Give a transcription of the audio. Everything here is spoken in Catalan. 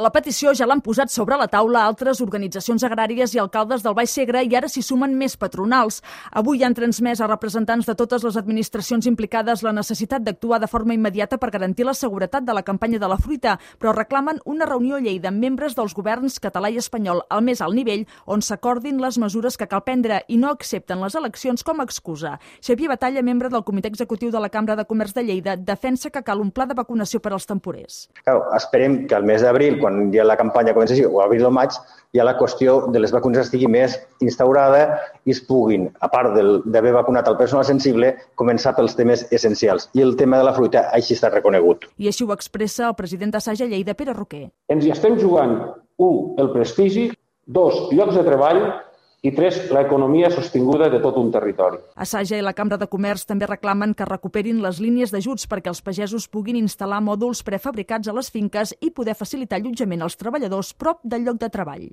La petició ja l'han posat sobre la taula altres organitzacions agràries i alcaldes del Baix Segre i ara s'hi sumen més patronals. Avui han transmès a representants de totes les administracions implicades la necessitat d'actuar de forma immediata per garantir la seguretat de la campanya de la fruita, però reclamen una reunió a Lleida amb membres dels governs català i espanyol al més alt nivell on s'acordin les mesures que cal prendre i no accepten les eleccions com a excusa. Xavier Batalla, membre del Comitè Executiu de la Cambra de Comerç de Lleida, defensa que cal un pla de vacunació per als temporers. Claro, esperem que al mes d'abril, quan ja la campanya comenci, o abril o maig, ja la qüestió de les vacunes estigui més instaurada i es puguin, a part d'haver vacunat el personal sensible, començar pels temes essencials. I el tema de la fruita així està reconegut. I així ho expressa el president d'Assaja Lleida, Pere Roquer. Ens hi estem jugant, 1, el prestigi, 2, llocs de treball, i 3, l'economia sostinguda de tot un territori. Assaja i la Cambra de Comerç també reclamen que recuperin les línies d'ajuts perquè els pagesos puguin instal·lar mòduls prefabricats a les finques i poder facilitar allotjament als treballadors prop del lloc de treball.